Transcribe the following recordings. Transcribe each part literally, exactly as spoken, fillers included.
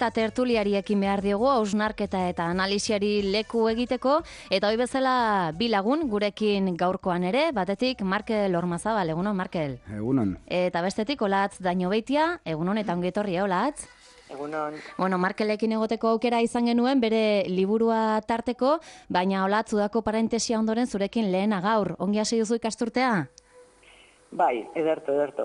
Eta tertuliari ekin behar diogu, hausnarketa eta analisiari leku egiteko, eta hoi bezala bi lagun gurekin gaurkoan ere, batetik Markel Ormazabal, egunon Markel. Egunon. Eta bestetik Olatz Dañobeitia, egunon eta ongetorri, Olatz. Egunon. Bueno, Markelekin egoteko aukera izan genuen, bere liburua tarteko, baina Olatz udako parentesia ondoren zurekin lehena gaur. Ongi hasi duzu ikasturtea? Bai, ederto, ederto.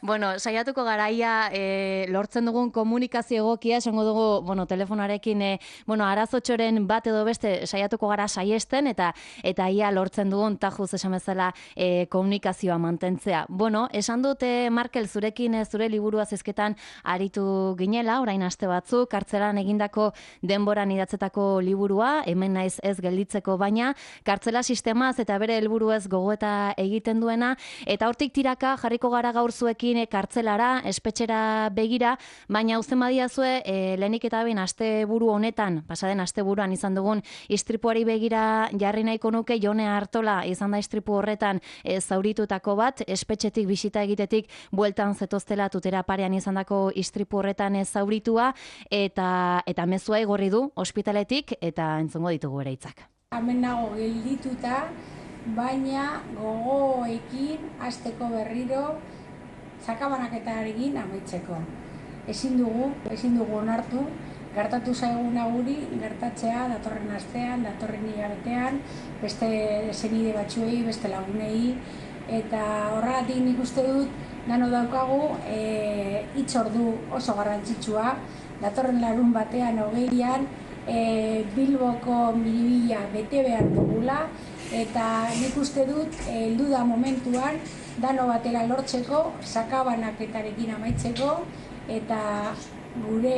Bueno, saiatuko garaia e, lortzen dugun komunikazio egokia, esango dugu, bueno, telefonarekin, e, bueno, arazotxoren bat edo beste saiatuko gara saiesten, eta eta ia lortzen dugun tajuz esan bezala e, komunikazioa mantentzea. Bueno, esan dute, Markel, zurekin e, zure liburua zizketan aritu ginela, orain aste batzuk, kartzelan egindako denboran idatzetako liburua, hemen naiz ez gelditzeko, baina kartzela sistemaz eta bere helburuez gogoeta egiten duena, eta hortik tiraka jarriko gara gaur zuekin e, kartzelara, espetxera begira, baina uzten badiazue, e, lehenik eta behin asteburu honetan, pasaden asteburuan izan dugun istripuari begira jarri nahiko nuke. Jone Artola izan da istripu horretan e, zauritutako bat, espetxetik bisita egitetik bueltan zetoztela tutera parean izandako istripu horretan e, zauritua, eta eta mezua igorri du ospitaletik, eta entzungo ditugu ere hitzak. Hemen nago geldituta, baina gogoekin hasteko berriro sakabanaketarekin amaitzeko. Ezin dugu, ezin dugu onartu, gertatu zaiguna guri, gertatzea datorren astean, datorren hilabetean, beste senide batzuei, beste lagunei, eta horregatik nik uste dut, dano daukagu, e, hitzordu oso garrantzitsua, datorren larun batean hogeian, e, Bilboko miribila bete behar dugula, eta nik uste dut, heldu da momentuan, dano batera lortzeko, sakabanaketarekin amaitzeko, eta gure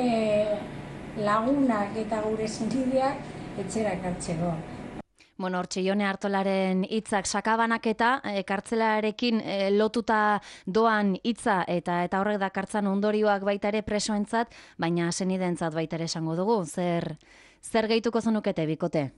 lagunak eta gure sentideak etxera ekartzeko. Bueno, hortxe Jone Artolaren hitzak sakabanaketa, e, kartzelarekin e, lotuta doan hitza, eta eta horrek dakartzan ondorioak baita ere presoentzat, baina senidentzat baita ere esango dugu. Zer, zer gehituko zenukete, bikote?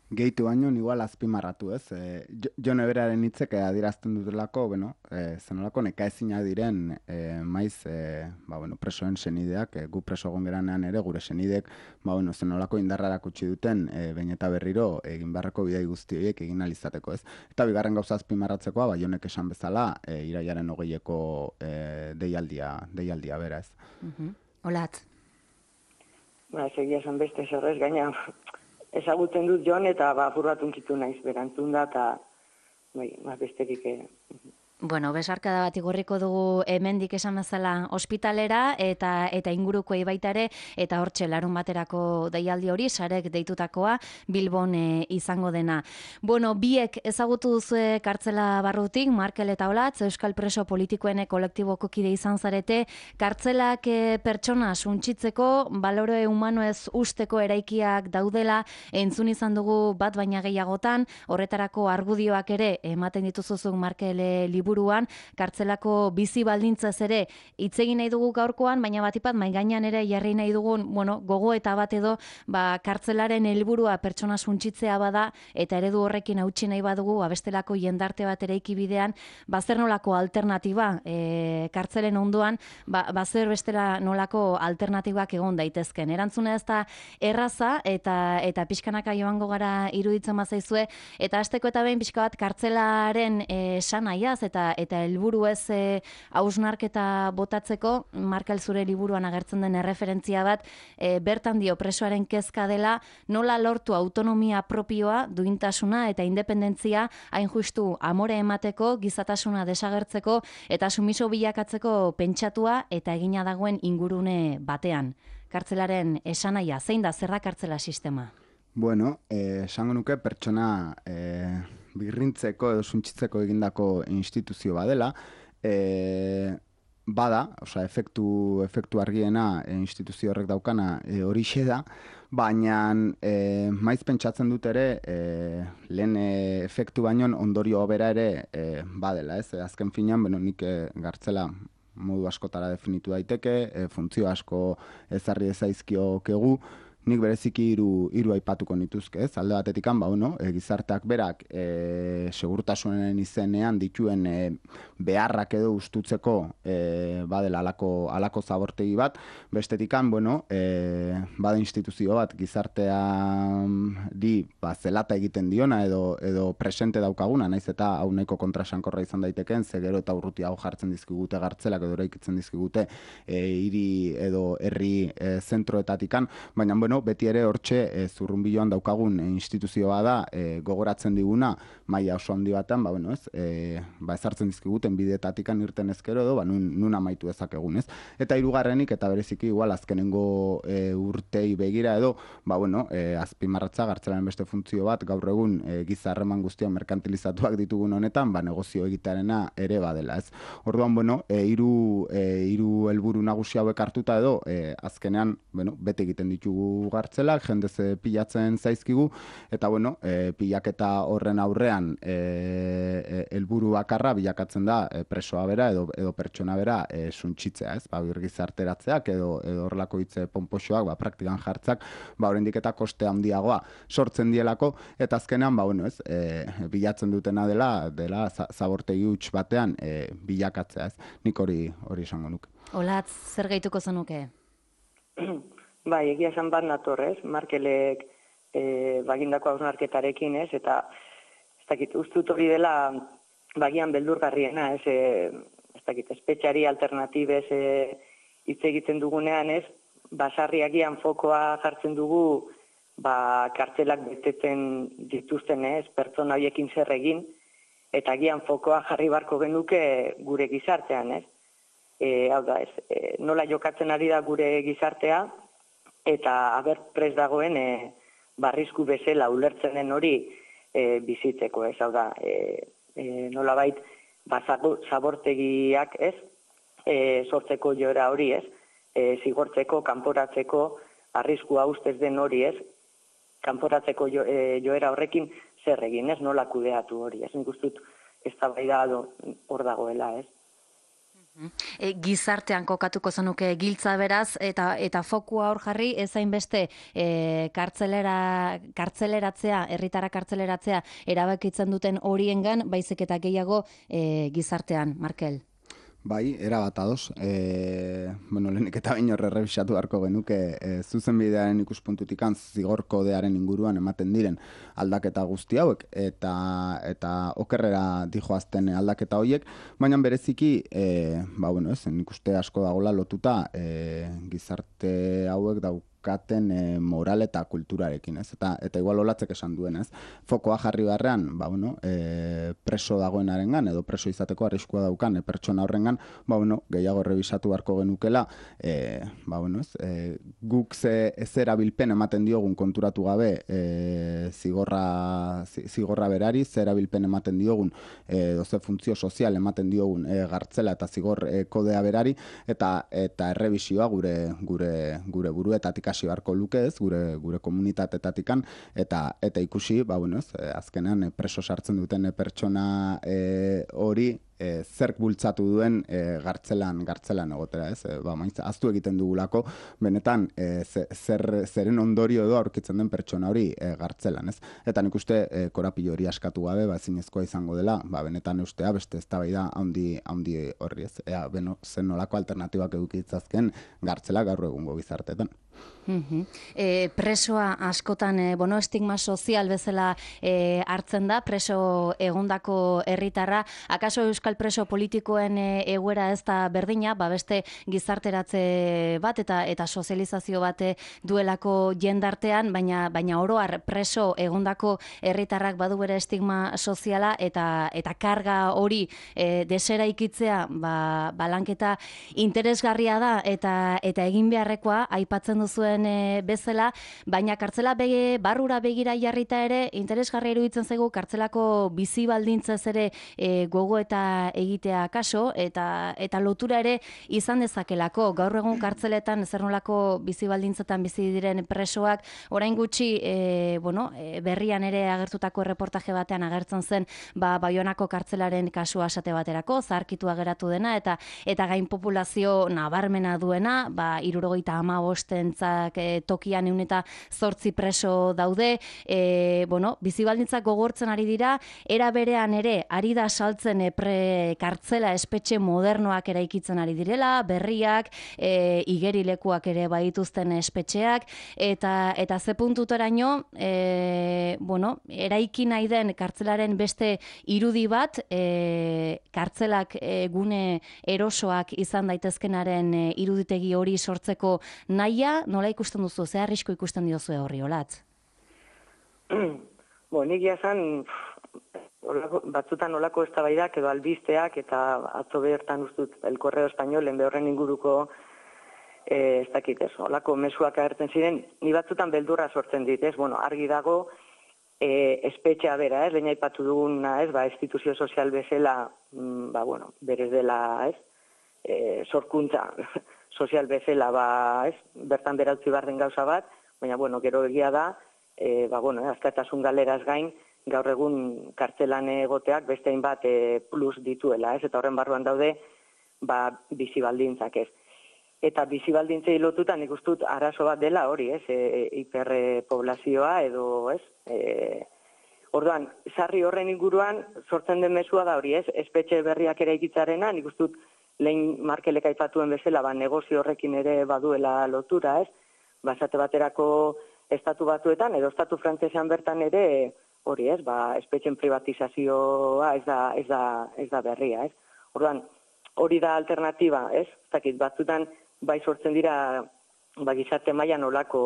Gehitu baino, igual azpimarratu, ez? E, Jone beraren hitzek adierazten dutelako, bueno, e, zenolako nekaezina diren e, maiz e, ba, bueno, presoen senideak, e, gu preso egon geranean ere, gure senidek, ba, bueno, zenolako indarrarak utzi duten, e, behin eta berriro, egin beharreko bidai guzti horiek egin alizateko, ez? Eta bigarren gauza azpimarratzekoa, ba, Jonek esan bezala, e, iraiaren hogeieko e, deialdia, deialdia bera, ez? Uh-huh. Olatz. Ba, segia esan beste zerrez, gaina ezagutzen dut Jon, eta ba, apur bat unkitu naiz berantzun da, eta bai, besterik e... Bueno, besarkada bat igorriko dugu hemendik esan bezala ospitalera, eta eta ingurukoei baita ere, eta hortxe larun baterako deialdi hori, sarek deitutakoa, Bilbon e, izango dena. Bueno, biek ezagutu duzue kartzela barrutik, Markel eta Olatz, Euskal Preso Politikoen kolektiboko kide izan zarete, kartzelak e, pertsona suntsitzeko, balore humanoez usteko eraikiak daudela, entzun izan dugu bat baina gehiagotan, horretarako argudioak ere ematen dituzuzuk Markel e, buruan, kartzelako bizi baldintzaz ere hitz egin nahi dugu gaurkoan, baina batipat mai gainean ere jarri nahi dugun, bueno, gogo eta bat edo, ba, kartzelaren helburua pertsona suntsitzea bada, eta eredu horrekin hautsi nahi badugu, abestelako jendarte bat eraiki bidean, ba, zer nolako alternatiba, e, kartzelen ondoan, ba, ba, zer bestela nolako alternatibak egon daitezken. Erantzuna ez da erraza, eta eta pixkanaka joango gara iruditzen bazaizue, eta hasteko eta behin pixka bat kartzelaren e, sanaiaz, eta eta helburu ez e, hausnarketa botatzeko, Markel zure liburuan agertzen den erreferentzia bat, e, bertan dio presoaren kezka dela, nola lortu autonomia propioa, duintasuna eta independentzia, hain justu amore emateko, gizatasuna desagertzeko, eta sumiso bilakatzeko pentsatua eta egina dagoen ingurune batean. Kartzelaren esanaia, zein da, zer da kartzela sistema? Bueno, esango eh, nuke pertsona eh, birrintzeko edo suntsitzeko egindako instituzio badela, e, bada, osea, efektu, efektu argiena e, instituzio horrek daukana e, horixe da, baina e, maiz pentsatzen dut ere e, lehen e, efektu baino ondorio bera ere e, badela, ez? Azken finean, beno, nik e, gartzela modu askotara definitu daiteke, e, funtzio asko ezarri ezaizkiokegu, nik bereziki hiru hiru aipatuko nituzke, ez? Alde batetikan, ba, bueno, e, gizarteak berak e, segurtasunen izenean dituen e, beharrak edo ustutzeko e, badela alako, alako zabortegi bat, bestetikan, bueno, e, bada instituzio bat gizartea di ba, zelata egiten diona edo, edo presente daukaguna, naiz eta hau nahiko kontrasankorra izan daiteken, ze gero eta urruti hau jartzen dizkigute gartzelak edo eraikitzen dizkigute e, hiri edo herri e, zentroetatikan, baina bueno, beti ere hortxe e, zurrunbiloan daukagun e, instituzioa da e, gogoratzen diguna maila oso handi batean, ba, bueno, ez, e, ba, ezartzen dizkiguten bideetatikan irten ezkero edo, ba, nun, nun amaitu dezakegun, ez? Eta hirugarrenik eta bereziki igual azkenengo e, urtei begira edo, ba, bueno, e, azpimarratza gartzelaren beste funtzio bat gaur egun e, giza harreman guztiak merkantilizatuak ditugun honetan, ba, negozio egitearena ere badela, ez? Orduan, bueno, e, hiru e, hiru helburu nagusi hauek hartuta edo, e, azkenean, bueno, bete egiten ditugu gartzelak, jende ze pilatzen zaizkigu, eta bueno, e, pilaketa horren aurrean e, helburu bakarra bilakatzen da e, presoa bera edo, edo pertsona bera e, suntsitzea, ez? Ba, gizarteratzeak edo edo horrelako hitze ponpoxoak, ba, praktikan jartzak, ba, oraindik eta koste handiagoa sortzen dielako, eta azkenean, ba, bueno, ez, e, bilatzen dutena dela, dela zabortegi huts batean e, bilakatzea, ez? Nik hori hori esango nuke. Olatz, zer gehituko zenuke? Bai, egia esan bat nator, ez? Markelek e, bagindako hausnarketarekin, ez? Eta ez dakit, ustut hori dela bagian beldurgarriena, ez? E, ez dakit, espetxari alternatibez e, hitz egiten dugunean, ez? Basarriagian fokoa jartzen dugu, ba, kartzelak beteten dituzten, ez? Pertsona horiekin zer egin, eta agian fokoa jarri barko genuke gure gizartean, ez? E, hau da, ez, e, nola jokatzen ari da gure gizartea, eta aber prest dagoen e, barrizku bezala ulertzen den hori e, bizitzeko, ez, hau da, e, e, nola bait, ba, zabortegiak, ez, e, sortzeko joera hori, ez, e, zigortzeko, kanporatzeko, arriskua ustez den hori, ez, kanporatzeko jo, e, joera horrekin zer egin, ez, nola kudeatu hori, ez, nik ustut eztabaida hor dagoela, ez. E, gizartean kokatuko zenuke giltza beraz, eta eta fokua hor jarri, ez hainbeste e, kartzelera, kartzeleratzea, herritara kartzeleratzea erabakitzen duten horiengan, baizik eta gehiago e, gizartean, Markel. Bai, era bat ados. E, bueno, lehenik eta baino errebisatu beharko genuke e, zuzenbidearen ikuspuntutikan zigor kodearen inguruan ematen diren aldaketa guzti hauek eta eta okerrera dijoazten aldaketa horiek, baina bereziki e, ba bueno, ez, nik uste asko dagola lotuta e, gizarte hauek dauk katen e, moral eta kulturarekin, ez? Eta eta igual olatzek esan duen, ez? Fokoa jarri beharrean, ba bueno, e, preso dagoenarengan edo preso izateko arriskua daukan e, pertsona horrengan, ba bueno, gehiago errebisatu beharko genukela, e, ba bueno, ez? E, guk ze ez erabilpen ematen diogun konturatu gabe, e, zigorra zigorra berari, ze erabilpen ematen diogun, e, doze funtzio sozial ematen diogun e, gartzela eta zigor e, kodea berari, eta eta errebisioa gure gure gure buruetatik hasi beharko luke, ez, gure gure komunitateetatikan, eta eta ikusi, ba bueno, ez, azkenean preso sartzen duten pertsona e, hori e, zerk bultzatu duen e, gartzelan gartzelan egotera, ez? E, ba, maitza aztu egiten dugulako benetan e, zer zeren ondorio edo aurkitzen den pertsona hori e, gartzelan, ez? Eta nik uste e, korapilo hori askatu gabe, ba ezinezkoa izango dela, ba benetan ustea beste eztabaida handi handi horri, ez? Ea, beno, zen nolako alternatibak eduki ditzazken gartzela gaur egungo gizarteetan. Mm-hmm. E, presoa askotan e, bueno, estigma sozial bezala e, hartzen da, preso egondako herritarra. Akaso euskal preso politikoen e, egoera ez da berdina, ba beste gizarteratze bat eta eta sozializazio bat duelako jendartean, baina baina oro har preso egondako herritarrak badu bere estigma soziala eta eta karga hori e, deseraikitzea, ba balanketa interesgarria da eta eta egin beharrekoa aipatzen zuen e, bezala, baina kartzela bege, barrura begira jarrita ere interesgarria iruditzen zaigu kartzelako bizi baldintzez ere e, gogo eta dela egitea kaso, eta eta lotura ere izan dezakelako. Gaur egun kartzeletan zer nolako bizi baldintzetan bizi diren presoak, orain gutxi e, bueno, e, berrian ere agertutako reportaje batean agertzen zen ba, Baionako kartzelaren kasua esate baterako, zaharkitua geratu dena, eta eta gain populazio nabarmena duena, ba, hirurogeita hamabostentzak e, tokian ehun eta zortzi preso daude, e, bueno, bizi baldintzak gogortzen ari dira, era berean ere, ari da saltzen e, pre kartzela espetxe modernoak eraikitzen ari direla, berriak, e, igerilekuak ere baituzten espetxeak, eta eta ze puntutaraino, e, bueno, eraiki nahi den kartzelaren beste irudi bat, e, kartzelak e, gune erosoak izan daitezkenaren e, iruditegi hori sortzeko nahia, nola ikusten duzu, ze arrisku ikusten diozu horri, Olatz? Bo, nik jazan, batzutan olako eztabaidak edo albisteak, eta atzo bertan ustut El Correo Españolen behorren inguruko eh, ez dakit ez, olako mezuak agertzen ziren, ni batzutan beldurra sortzen dit, ez, bueno, argi dago, e, espetxea bera, ez, lehen aipatu duguna, ez, ba, instituzio sozial bezala, mm, ba, bueno, berez dela, ez, e, sorkuntza sozial bezala, ba, ez, bertan berautzi barren gauza bat, baina, bueno, gero egia da, e, ba, bueno, askatasun galeraz gain, gaur egun kartzelan egoteak beste hainbat e, plus dituela, ez, eta horren barruan daude, ba, bizi baldintzak, ez. Eta bizi baldintzei lotutan ikustut arazo bat dela hori, ez, e, hiperpoblazioa edo, ez, e, orduan, sarri horren inguruan sortzen den mezua da hori, ez, espetxe berriak ere ikitzarena, nik ustut lehen Markelek aipatuen bezala, ba, negozio horrekin ere baduela lotura, ez, basate baterako estatu batuetan, edo estatu frantsesean bertan ere, hori, ez, ba, espetxen privatizazioa ez da, ez da, ez da berria, ez. Orduan, hori da alternatiba, ez, ez dakit, batzutan, bai sortzen dira, ba, gizarte mailan olako,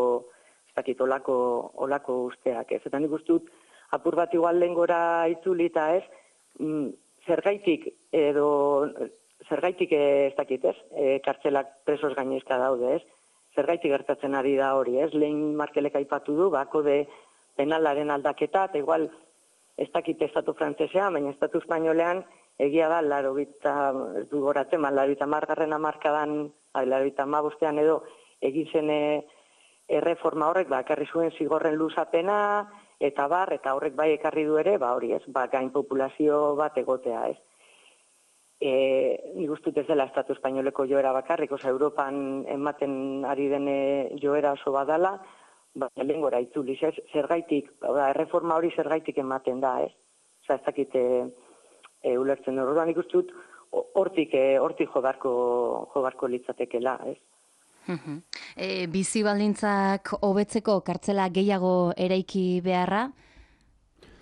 ez dakit, olako, olako usteak, ez. Eta nik ustut, apur bat igual lehengora itzulita, ez, mm, zergaitik, edo, zergaitik ez dakit, ez, e, kartzelak presos gainezka daude, ez, zergaitik gertatzen ari da hori, ez, lehen Markelek aipatu du, bako de penalaren aldaketa, eta igual, ez dakit estatu frantsesean, baina estatu espainolean, egia da, laro bita, ez du goratzen, laro bita margarren amarkadan, laro bita mabostean edo, egizen erreforma horrek, ba, ekarri zuen zigorren luzapena, eta bar, eta horrek bai ekarri du ere, ba, hori ez, ba, gain populazio bat egotea, ez. E, nik ustut ez dela estatu espainoleko joera bakarrik, oza, Europan ematen ari dene joera oso badala, baina lehen gora itzuliz, ez, zergaitik, erreforma hori zergaitik ematen da, ez. Oza, ez dakit, e, e, ulertzen dut, orduan ikustut, hortik, e, hortik jo barko, jo barko litzatekela, ez. E, bizi baldintzak hobetzeko kartzela gehiago eraiki beharra,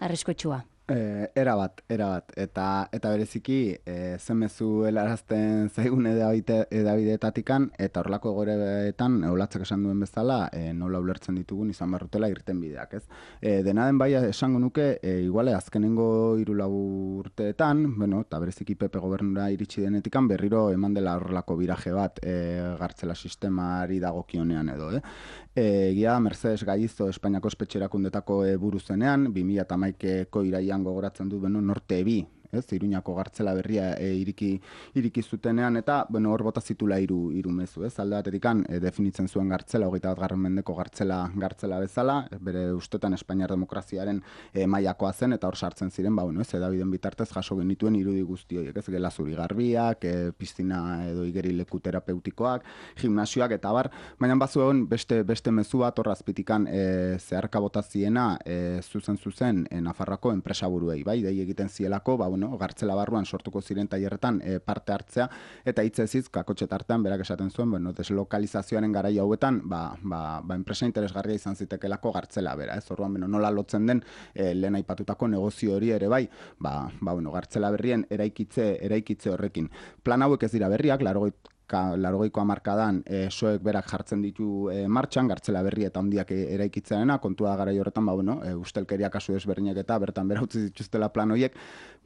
arriskotxua. E, era bat, era bat, eta, eta bereziki e, zemezu helarazten zaigun edabideetatikan, eta horrelako egoeretan, eolatzak esan duen bezala, e, nola ulertzen ditugun izan barrutela irten bideak, ez? E, dena den bai esango nuke, e, iguale azkenengo hiru lau urteetan, bueno, eta bereziki Pepe gobernura iritsi denetikan, berriro eman dela horrelako biraje bat e, gartzela sistemari dagokionean edo, eh? Egia da, Mercedes Gallizo Espainiako espetxerakundetako e, buru zenean, bi mila hamaikako iraian gogoratzen du, beno, Norte bi, ez, Iruñako gartzela berria e, iriki, iriki zutenean, eta, bueno, hor bota zitula hiru hiru mezu, ez, alde batetikan e, definitzen zuen gartzela, hogeita bat garren mendeko gartzela, gartzela bezala, bere ustetan Espainiar demokraziaren e, mailakoa zen, eta hor sartzen ziren, ba, bueno, ez, edabiden bitartez jaso genituen irudi guzti horiek, ez, gela zuri garbiak, e, piztina edo igerileku terapeutikoak, gimnasioak, eta bar, baina bazu egon beste, beste mezu bat hor azpitikan e, zeharka bota ziena, e, zuzen zuzen, e, Nafarroako enpresaburuei, bai, dei egiten zielako, ba, bueno, gartzela barruan sortuko ziren tailerretan e, parte hartzea, eta hitz eziz, kakotxe tartean, berak esaten zuen, bueno, deslokalizazioaren garai hauetan, ba, ba, ba, enpresa interesgarria izan zitekelako gartzela bera, ez, orduan, bueno, nola lotzen den, e, lehen aipatutako negozio hori ere bai, ba, ba, bueno, gartzela berrien eraikitze, eraikitze horrekin. Plan hauek ez dira berriak, larogeit laurogeiko hamarkadan e, soek berak jartzen ditu e, martxan, gartzela berri eta handiak eraikitzearena, kontua garai horretan, ba, bueno, e, ustelkeria kasu desberdinak eta bertan bera utzi dituztela plan horiek,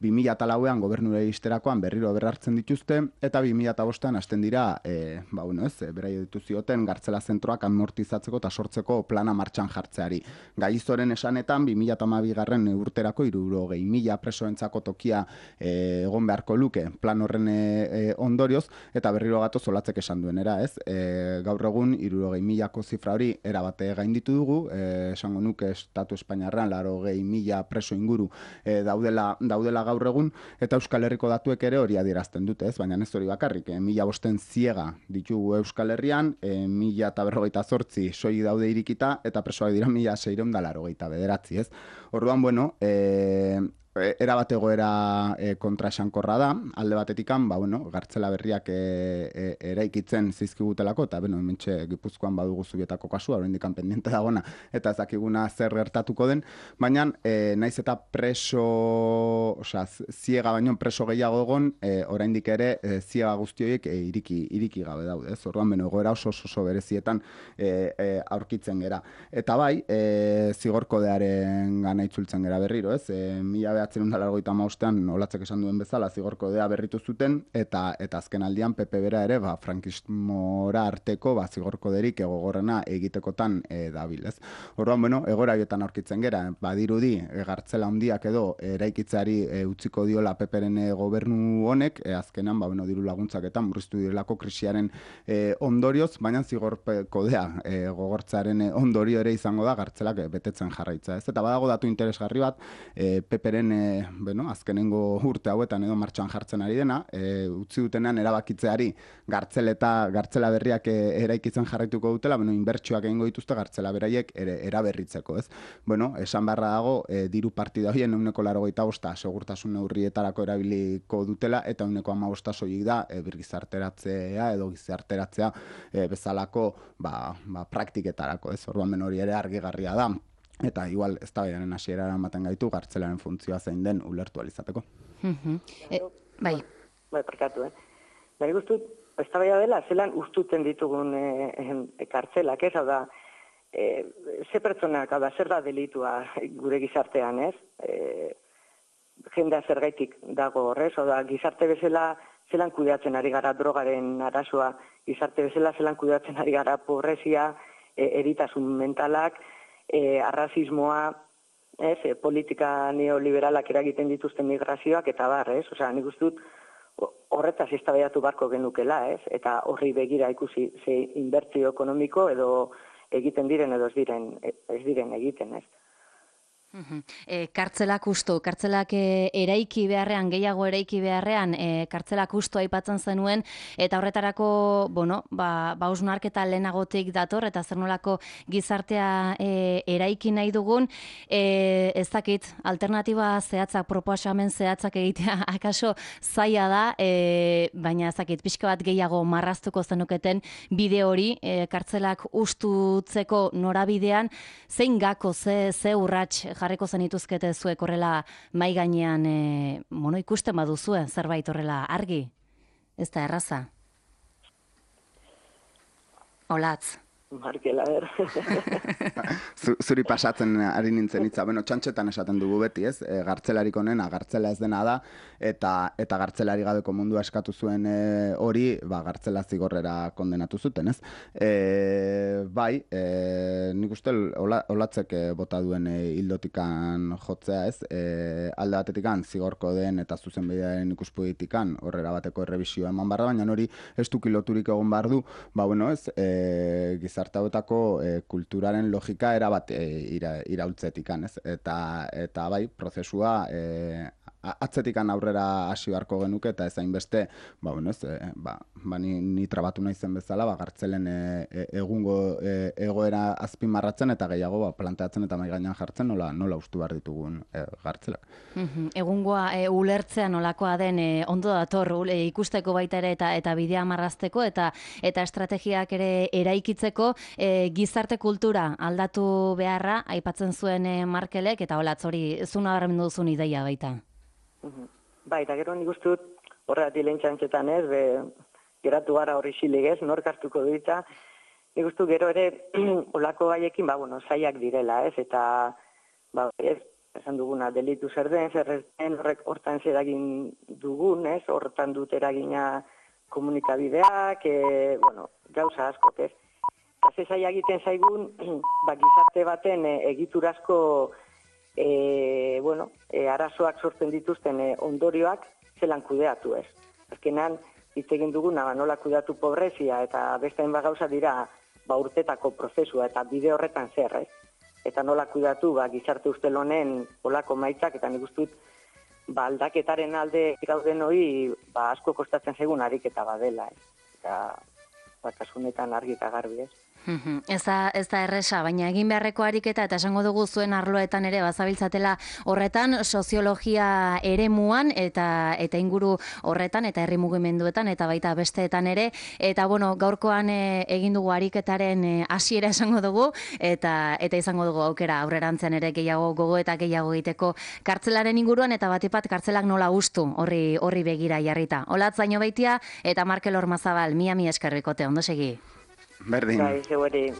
bi mila lauean gobernura iristerakoan berriro berrartzen dituzte, eta bi mila bostean hasten dira, e, ba, bueno, ez, beraio dituzioten gartzela zentroak amortizatzeko eta sortzeko plana martxan jartzeari. Gaizoren esanetan, bi mila hamabigarren urterako hirurogei mila presoentzako tokia e, egon beharko luke plan horren e, ondorioz, eta berriro gatoz olatzek esan duenera, ez? E, gaur egun hirurogei milako zifra hori erabate gainditu dugu, e, esango nuke estatu espainiarrean laurogei mila preso inguru e, daudela, daudela gaur egun, eta Euskal Herriko datuek ere hori adierazten dute, ez? Baina ez hori bakarrik, e, mila bosten ziega ditugu Euskal Herrian, e, mila eta berrogeita zortzi soi daude irikita, eta presoak dira mila seiehun eta laurogeita bederatzi, ez? Orduan, bueno, e, era bat egoera e, kontraesankorra da, alde batetikan, ba, bueno, gartzela berriak e, e, eraikitzen zizkigutelako, eta bueno, hementxe Gipuzkoan badugu Zubietako kasua, oraindik pendiente dagona, eta ez dakiguna zer gertatuko den, baina e, naiz eta preso, osea, ziega baino preso gehiago egon, e, oraindik ere e, ziega guzti horiek e, iriki, iriki gabe daude, ez? Orduan, beno, egoera oso oso berezietan e, e, aurkitzen gera. Eta bai, e, zigorkodearen gana itzultzen gera berriro, ez? E, mila behatzen da laurogeita hamabostean olatzek esan duen bezala zigorkodea berritu zuten, eta eta azken aldian P P bera ere ba, frankismora arteko ba, zigorkoderik egogorrena egitekotan e, dabil, ez? Orduan, bueno, egoera hietan aurkitzen gera, badirudi e, gartzela handiak edo eraikitzeari e, utziko diola P Pren e, gobernu honek, e, azkenan, ba, bueno, diru laguntzaketan murriztu direlako krisiaren e, ondorioz, baina zigorkodea e, gogortzaren e, ondorio ere izango da gartzelak e, betetzen jarraitza, ez? Eta badago datu interesgarri bat, e, P Pren e, bueno, azkenengo urte hauetan edo martxan jartzen ari dena, e, utzi dutenean erabakitzeari gartzeleta, gartzela berriak e, eraikitzen jarraituko dutela, bueno, inbertsioak egingo dituzte gartzela beraiek ere, eraberritzeko, ez? Bueno, esan beharra dago, e, diru partida horien ehuneko laurogeita bosta segurtasun neurrietarako erabiliko dutela, eta ehuneko hamabosta soilik da e, birgizarteratzea edo gizarteratzea e, bezalako ba, ba, praktiketarako, ez? Orduan, hori ere argigarria da. Eta igual eztabaidaren hasierara ematen gaitu gartzelaren funtzioa zein den ulertu ahal izateko. Mm-hmm. e, bai. Bai, parkatu, eh. Bai, gustut, eztabaida dela zelan ustuten ditugun e, e, kartzelak, ez? Hau da, e, ze pertsonak, hau da, zer da delitua gure gizartean, ez? E, jendea zergaitik dago horrez, hau da, gizarte bezala zelan kudeatzen ari gara drogaren arazoa, gizarte bezala zelan kudeatzen ari gara pobrezia, e, eritasun mentalak, E, arrazismoa, ez, e, politika neoliberalak eragiten dituzten migrazioak, eta bar, ez? Osea, nik uste dut horretaz eztabaidatu barko genukela, ez? Eta horri begira ikusi ze inbertsio ekonomiko edo egiten diren edo ez diren, ez diren egiten, ez? Uh-huh. E, kartzelak usto, kartzelak e, eraiki beharrean, gehiago eraiki beharrean, e, kartzelak usto aipatzen zenuen, eta horretarako, bueno, ba, ba hausnarketa lehenagotik dator, eta zer nolako gizartea e, eraiki nahi dugun, e, ez dakit, alternatiba zehatzak, proposamen zehatzak egitea, akaso zaila da, e, baina ez dakit, pixka bat gehiago marraztuko zenuketen bide hori, e, kartzelak ustutzeko norabidean, zein gako, ze, ze urrats jarriko zenituzkete zuek horrela mai gainean e, mono ikusten baduzue zerbait horrela argi? Ez da erraza? Olatz. Markel, a ber. Zuri pasatzen ari nintzen hitza. Bueno, txantxetan esaten dugu beti, ez? E, gartzelarik onena, gartzela ez dena da, eta eta gartzelari gabeko mundua eskatu zuen e, hori, ba, gartzela zigorrera kondenatu zuten, ez? E, bai, e, nik uste ola, olatzek e, bota duen e, hildotikan jotzea, ez? E, alde batetikan zigorko den eta zuzenbidearen ikuspolitikan horrera bateko errebisioa eman barra, baina hori ez du kiloturik egon behar du, ba, bueno, ez? E, gizarte hauetako e, kulturaren logika erabat e, ira, iraultzetikan, ez? Eta, eta bai, prozesua e, atzetikan aurrera hasi beharko genuke, eta ez hainbeste, ba, bueno, ez, e, ba, ba, ni, ni trabatu nahi zen bezala, ba, gartzelen e, e, egungo e, egoera azpimarratzen, eta gehiago ba, planteatzen eta mai gainean jartzen, nola, nola ustu behar ditugun e, gartzelak. Mm-hmm. Egungoa e, ulertzea nolakoa den e, ondo dator e, ikusteko baita ere eta eta bidea marrazteko eta eta estrategiak ere eraikitzeko e, gizarte kultura aldatu beharra aipatzen zuen e, Markelek, eta Olatz hori zuna nabarmendu duzun ideia baita. Bai, eta gero nik uste dut horregatik lehen txantxetan, ez, be, geratu gara horri xilig ez, nork hartuko du eta nik uste gero ere olako gaiekin, ba, bueno, zaiak direla, ez, eta, ba, ez, esan duguna, delitu zer den, zer ez den, horrek hortan zer egin dugun, ez, hortan dut eragina komunikabideak, e, bueno, gauza askok, ez. Eta ze zaila egiten zaigun, ba, gizarte baten e, egiturazko, e, bueno, e, arazoak sortzen dituzten e, ondorioak zelan kudeatu, ez. Azkenan, hitz egin duguna, ba, nola kudeatu pobrezia, eta beste hainbat gauza dira, ba, urtetako prozesua, eta bide horretan zer, ez? Eta nola kudeatu, ba, gizarte ustel honen olako maitzak, eta nik ustut, ba, aldaketaren alde gauden hori, ba, asko kostatzen zaigun ariketa badela, ez? Eta, ba, kasunetan argi eta garbi, ez? Ez da, ez da erresa, baina egin beharreko ariketa eta esango dugu zuen arloetan ere bazabiltzatela horretan soziologia eremuan eta eta inguru horretan eta herri mugimenduetan eta baita besteetan ere eta bueno, gaurkoan e, egin dugu ariketaren hasiera e, esango dugu eta eta izango dugu aukera aurrerantzean ere gehiago gogo eta gehiago egiteko kartzelaren inguruan eta batipat kartzelak nola hustu horri horri begira jarrita. Olatz Zainobeitia eta Markel Ormazabal, mia mi eskerrikote, ondo segi. Berdin. Bai, zeueri.